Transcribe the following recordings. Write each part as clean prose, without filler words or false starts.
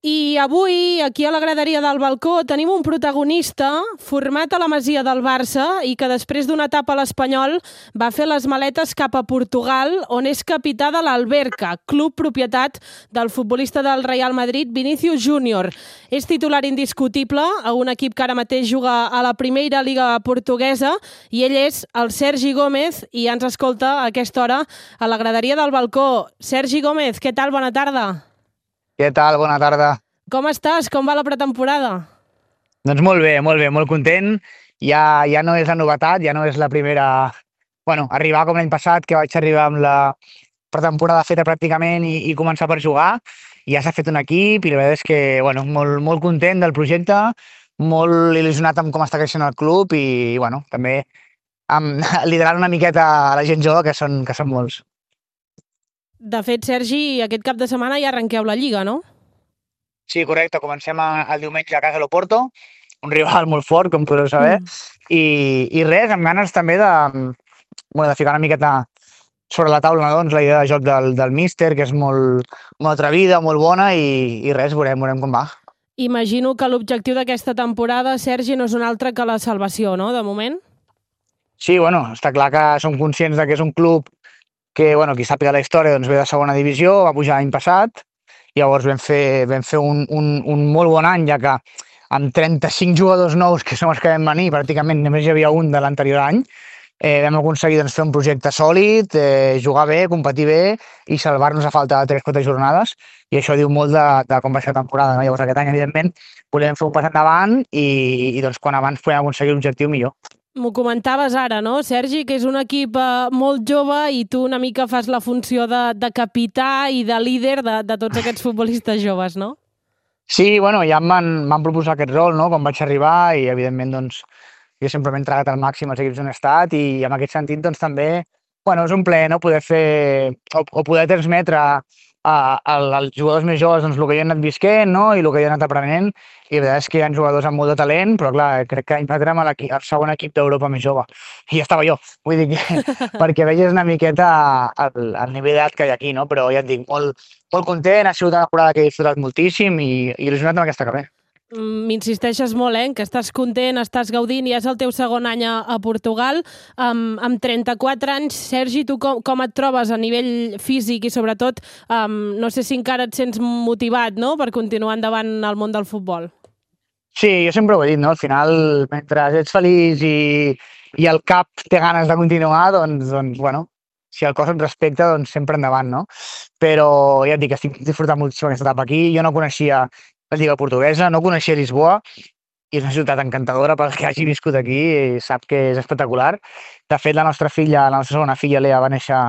I avui, aquí a la graderia del balcó, tenim un protagonista format a la Masia del Barça i que després d'una etapa a l'Espanyol va fer les maletes cap a Portugal, on és capità de l'Alberca, club propietat del futbolista del Real Madrid, Vinícius Júnior. És titular indiscutible a un equip que ara mateix juga a la primera Lliga portuguesa i ell és el Sergi Gómez i ens escolta a aquesta hora a la graderia del balcó. Sergi Gómez, què tal? Bona tarda. Què tal? Bona tarda. Com estàs? Com va la pretemporada? Doncs molt bé, molt content. Ja no és la novetat, ja no és la primera... Bueno, arribar com l'any passat, que vaig arribar amb la pretemporada feta pràcticament i començar per jugar. Ja s'ha fet un equip i la veritat és que bueno, molt content del projecte, molt il·lusionat amb com està creixent el club i bueno, també liderant una miqueta a la gent jove, que són molts. De fet, Sergi, aquest cap de setmana ja arrenqueu la Lliga, no? Sí, correcte. Comencem el diumenge a casa de l'Oporto, un rival molt fort, com podeu saber, i res, amb ganes també de ficar una miqueta sobre la taula, doncs, la idea de joc del míster, que és molt atrevida, molt bona, i res, veurem com va. Imagino que l'objectiu d'aquesta temporada, Sergi, no és un altre que la salvació, no?, de moment? Sí, bueno, està clar que som conscients que és un club que, bueno, qui sàpiga la història, doncs ve de segona divisió, va pujar l'any passat, llavors vam fer un molt bon any, ja que amb 35 jugadors nous, que som els que vam venir, pràcticament només hi havia un de l'anterior any, vam aconseguir fer un projecte sòlid, jugar bé, competir bé i salvar-nos a falta de 3-4 jornades, i això diu molt de com va ser la temporada, no? Llavors aquest any, evidentment, volem fer un pas endavant i doncs quan abans podem aconseguir l'objectiu millor. M'ho comentaves ara, no, Sergi, que és un equip molt jove i tu una mica fas la funció de capità i de líder de tots aquests futbolistes joves, no? Sí, bueno, ja m'han proposat aquest rol, no?, quan vaig arribar i, evidentment, doncs, jo sempre m'he entregat al màxim als equips on he estat i en aquest sentit, doncs, també, bueno, és un plaer, no?, poder fer o poder transmetre als jugadors més joves doncs, el que jo he anat visquent, no?, i el que jo he anat aprenent, i la veritat és que hi ha jugadors amb molt de talent, però clar, crec que érem el segon equip d'Europa més jove, i ja estava jo, vull dir que perquè vegis una miqueta el nivell d'edat que hi ha aquí, no?, però ja et dic, molt content, ha sigut una temporada que he disfrutat moltíssim i il·lusionat amb aquesta carrera. M'insisteixes molt, que estàs content, estàs gaudint, ja és el teu segon any a Portugal. Amb 34 anys, Sergi, tu com et trobes a nivell físic i sobretot, no sé si encara et sents motivat, no?, per continuar endavant al món del futbol? Sí, jo sempre ho he dit, no?, al final, mentre ets feliç i el cap té ganes de continuar, doncs bueno, si el cos et respecta, doncs sempre endavant, no? Però ja et dic, estic disfrutant moltíssim aquesta etapa aquí. Jo no coneixia la Lliga portuguesa, no coneixia Lisboa, i és una ciutat encantadora pel que hagi viscut aquí i sap que és espectacular. De fet, la nostra segona filla, Lea, va néixer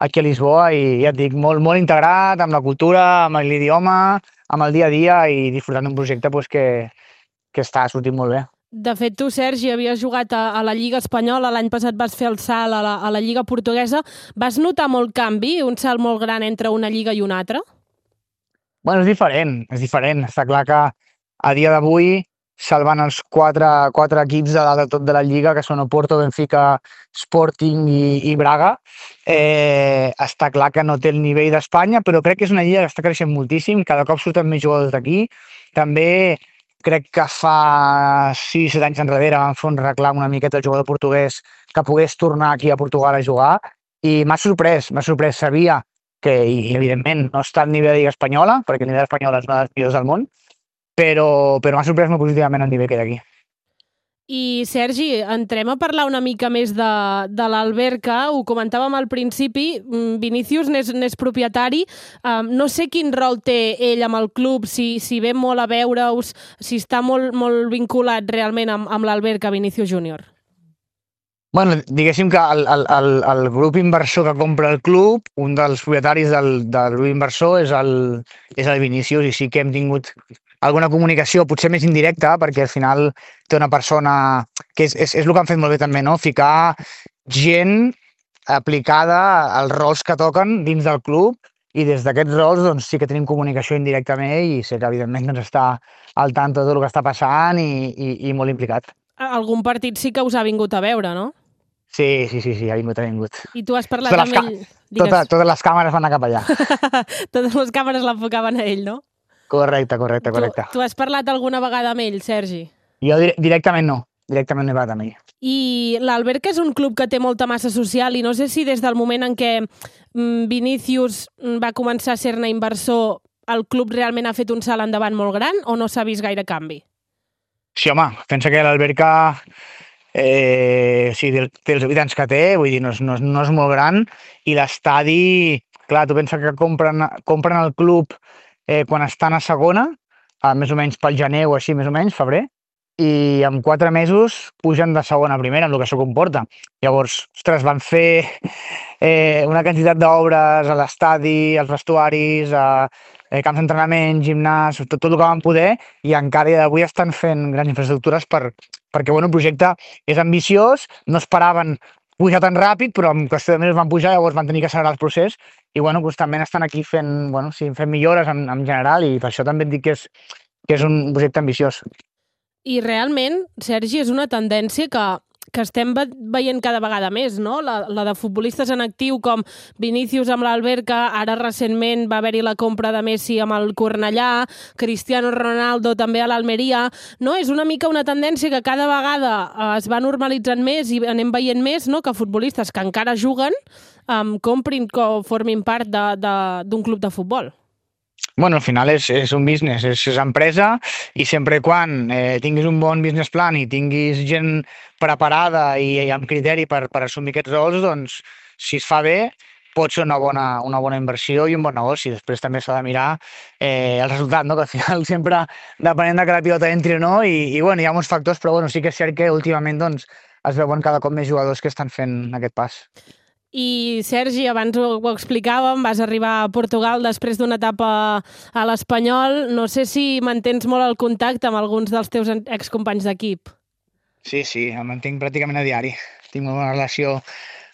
aquí a Lisboa i ja et dic, molt integrat amb la cultura, amb l'idioma, amb el dia a dia i disfrutant d'un projecte que està sortint molt bé. De fet, tu, Sergi, havies jugat a la Lliga espanyola, l'any passat vas fer el salt a la Lliga portuguesa. Vas notar molt canvi, un salt molt gran entre una lliga i una altra? Bueno, és diferent. Està clar que a dia d'avui, salvant els quatre equips de dalt de tot de la Lliga, que són Oporto, Benfica, Sporting i Braga, està clar que no té el nivell d'Espanya, però crec que és una lliga que està creixent moltíssim, cada cop surten més jugadors d'aquí. També crec que fa 6-7 anys enrere van fer un reclam una miqueta al jugador portuguès que pogués tornar aquí a Portugal a jugar i m'ha sorprès. Sabia que, i evidentment, no està al nivell de Lliga espanyola, perquè el nivell espanyola és una de les millors del món, però m'ha sorprès molt positivament el nivell que hi ha aquí. I, Sergi, entrem a parlar una mica més de l'Alberca. Ho comentàvem al principi, Vinícius n'és propietari. No sé quin rol té ell amb el club, si ve molt a veure-us, si està molt vinculat realment amb l'Alberca, Vinícius Júnior. Bueno, diguéssim que el grup inversor que compra el club, un dels propietaris del grup inversor és el Vinícius, i sí que hem tingut alguna comunicació, potser més indirecta, perquè al final té una persona que és el que han fet molt bé també, no?, ficar gent aplicada als rols que toquen dins del club, i des d'aquests rols doncs, sí que tenim comunicació indirecta amb ell i sé que evidentment doncs, està al tanto de tot el que està passant i molt implicat. Algun partit sí que us ha vingut a veure, no? Sí, ha vingut. I tu has parlat amb ell? Totes les càmeres van anar cap allà. Totes les càmeres l'enfocaven a ell, no? Correcte. Tu has parlat alguna vegada amb ell, Sergi? Jo directament no he parlat amb ell. I l'Alberca és un club que té molta massa social i no sé si des del moment en què Vinícius va començar a ser-ne inversor el club realment ha fet un salt endavant molt gran o no s'ha vist gaire canvi? Sí, home, pensa que l'Alberca té els habitants que té, vull dir, no és molt gran, i l'estadi, clar, tu pensa que compren el club quan estan a segona, més o menys pel gener o així, més o menys, febrer, i en 4 mesos pugen de segona a primera, amb el que això comporta. Llavors, ostres, van fer una quantitat d'obres a l'estadi, als vestuaris, camps d'entrenament, gimnàs, tot el que van poder, i encara avui estan fent grans infraestructures perquè el projecte és ambiciós, no esperaven pujar tan ràpid, però en qüestió de mesos van pujar, llavors van tenir que accelerar el procés, i constantment estan aquí fent millores en general, i per això també et dic que és un projecte ambiciós. I realment, Sergi, és una tendència que estem veient cada vegada més, no? La de futbolistes en actiu com Vinícius amb l'Alberca, ara recentment va haver-hi la compra de Messi amb el Cornellà, Cristiano Ronaldo també a l'Almeria, no? És una mica una tendència que cada vegada es va normalitzant més i anem veient més, no?, que futbolistes que encara juguen comprin o formin part d'un club de futbol. Bueno, al final és un business, és empresa, i sempre quan tinguis un bon business plan i tinguis gent preparada i amb criteri per assumir aquests rols, doncs, si es fa bé, pot ser una bona inversió i un bon negoci. Després també s'ha de mirar el resultat, no? Que al final sempre depenent de que la pilota entri o no, i hi ha molts factors, però sí que és cert que últimament doncs, es veuen cada cop més jugadors que estan fent aquest pas. I, Sergi, abans ho explicàvem, vas arribar a Portugal després d'una etapa a l'Espanyol. No sé si mantens molt el contacte amb alguns dels teus excompanys d'equip. Sí, em mantinc pràcticament a diari. Tinc una bona relació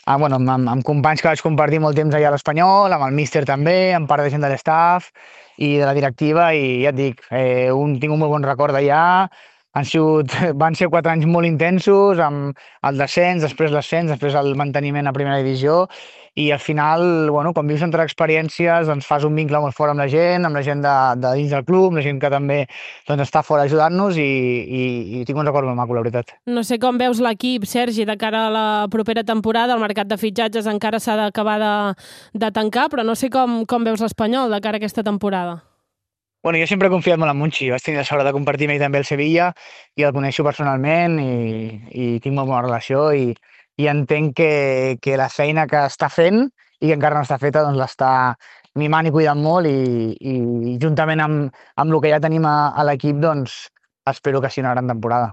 amb companys que vaig compartir molt temps allà a l'Espanyol, amb el míster també, amb part de gent de l'estaff i de la directiva, i ja et dic, tinc un molt bon record d'allà. Van ser 4 anys molt intensos, amb el descens, després l'ascens, després el manteniment a primera divisió, i al final, quan vius entre experiències, doncs fas un vincle molt fort amb la gent de dins del club, la gent que també està fora ajudant-nos, i tinc un record molt maco, la veritat. No sé com veus l'equip, Sergi, de cara a la propera temporada. El mercat de fitxatges encara s'ha d'acabar de tancar, però no sé com veus l'Espanyol de cara a aquesta temporada. Jo sempre he confiat molt en Monchi. Vaig tenir la sort de compartir amb ell també el Sevilla i el coneixo personalment i tinc molt bona relació, i entenc que la feina que està fent i que encara no està feta doncs l'està mimant i cuidant molt, i juntament amb el que ja tenim a l'equip, doncs espero que sigui una gran temporada.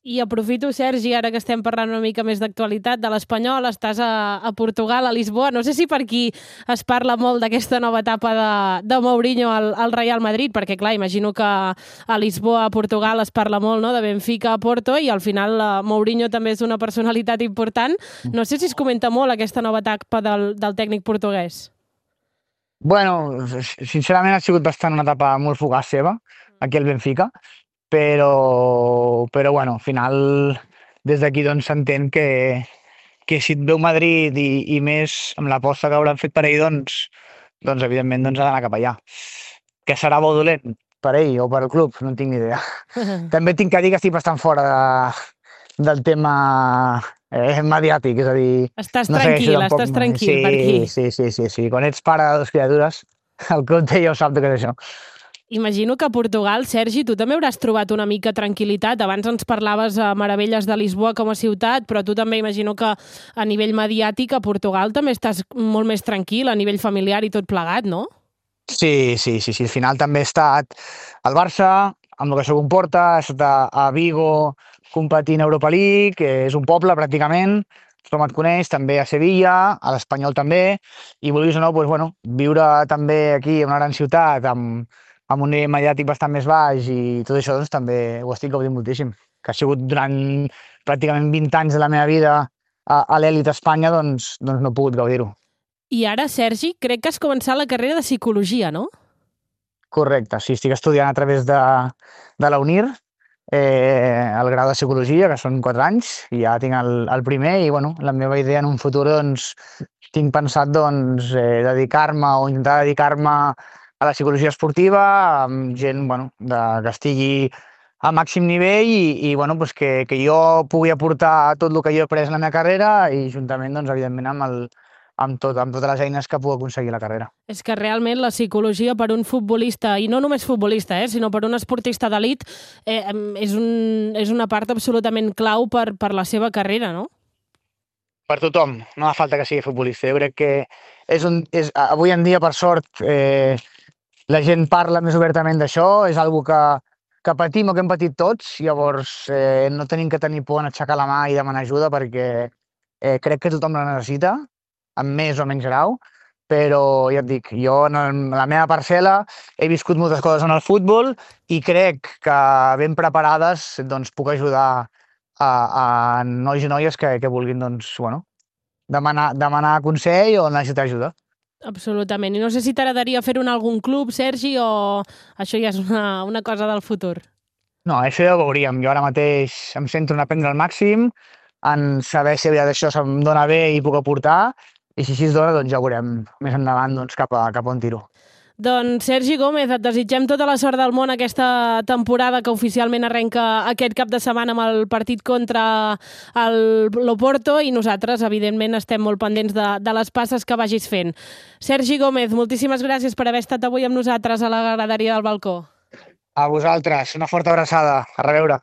I aprofito, Sergi, ara que estem parlant una mica més d'actualitat de l'Espanyol, estàs a Portugal, a Lisboa. No sé si per aquí es parla molt d'aquesta nova etapa de Mourinho al Real Madrid, perquè, clar, imagino que a Lisboa, a Portugal, es parla molt, no?, de Benfica a Porto, i al final Mourinho també és una personalitat important. No sé si es comenta molt aquesta nova etapa del tècnic portuguès. Sincerament ha sigut bastant una etapa molt fugaç seva, aquí al Benfica, però al final des d'aquí doncs s'entén que si et veu Madrid i més amb l'aposta que hauran fet per ell, doncs evidentment ha d'anar cap allà. Que serà bo o dolent per ell o per el club, no en tinc ni idea. També tinc que dir que estic bastant fora del tema mediàtic, és a dir... Estàs tranquil per aquí. Sí. Quan ets pare de 2 criatures, el compte ja ho sap de què és això. Imagino que a Portugal, Sergi, tu també hauràs trobat una mica tranquil·litat. Abans ens parlaves a meravelles de Lisboa com a ciutat, però tu també imagino que a nivell mediàtic a Portugal també estàs molt més tranquil, a nivell familiar i tot plegat, no? Sí. Al final també he estat al Barça, amb el que això comporta, he estat a Vigo competint a Europa League, que és un poble pràcticament, tothom et coneix, també a Sevilla, a l'Espanyol també, i vulguis o no, viure també aquí en una gran ciutat, amb un nivell mediàtic bastant més baix, i tot això doncs, també ho estic gaudint moltíssim. Que ha sigut durant pràcticament 20 anys de la meva vida a l'elit a Espanya, doncs no he pogut gaudir-ho. I ara, Sergi, crec que has començat la carrera de Psicologia, no? Correcte, sí, estic estudiant a través de la UNIR, el grau de Psicologia, que són 4 anys, i ja tinc el primer, i la meva idea en un futur, doncs, tinc pensat dedicar-me o intentar dedicar-me a la psicologia esportiva, amb gent bueno, que estigui a màxim nivell i bueno, pues que jo pugui aportar tot el que jo he après en la meva carrera i juntament, doncs, evidentment, amb totes les eines que puc aconseguir a la carrera. És que realment la psicologia per un futbolista, i no només futbolista, sinó per un esportista d'elit, és una part absolutament clau per la seva carrera, no? Per tothom, no fa falta que sigui futbolista. Jo crec que avui en dia, per sort, la gent parla més obertament d'això, és algo que patim o que hem patit tots, llavors no tenim que tenir por en aixecar la mà i demanar ajuda perquè crec que tothom la necessita, amb més o menys grau, però ja et dic, jo en la meva parcel·la he viscut moltes coses en el futbol i crec que ben preparades doncs, puc ajudar a nois i noies que vulguin doncs, bueno, demanar consell o necessitar ajuda. Absolutament. I no sé si t'agradaria fer-ho en algun club, Sergi, o això ja és una cosa del futur. No, això ja ho veuríem. Jo ara mateix em centro en aprendre al màxim, en saber si això se'm dona bé i puc aportar, i si així es dona, doncs ja ho veurem més endavant doncs, cap a on tiro. Doncs Sergi Gómez, et desitgem tota la sort del món aquesta temporada que oficialment arrenca aquest cap de setmana amb el partit contra l'Oporto i nosaltres, evidentment, estem molt pendents de les passes que vagis fent. Sergi Gómez, moltíssimes gràcies per haver estat avui amb nosaltres a la graderia del balcó. A vosaltres, una forta abraçada. A reveure.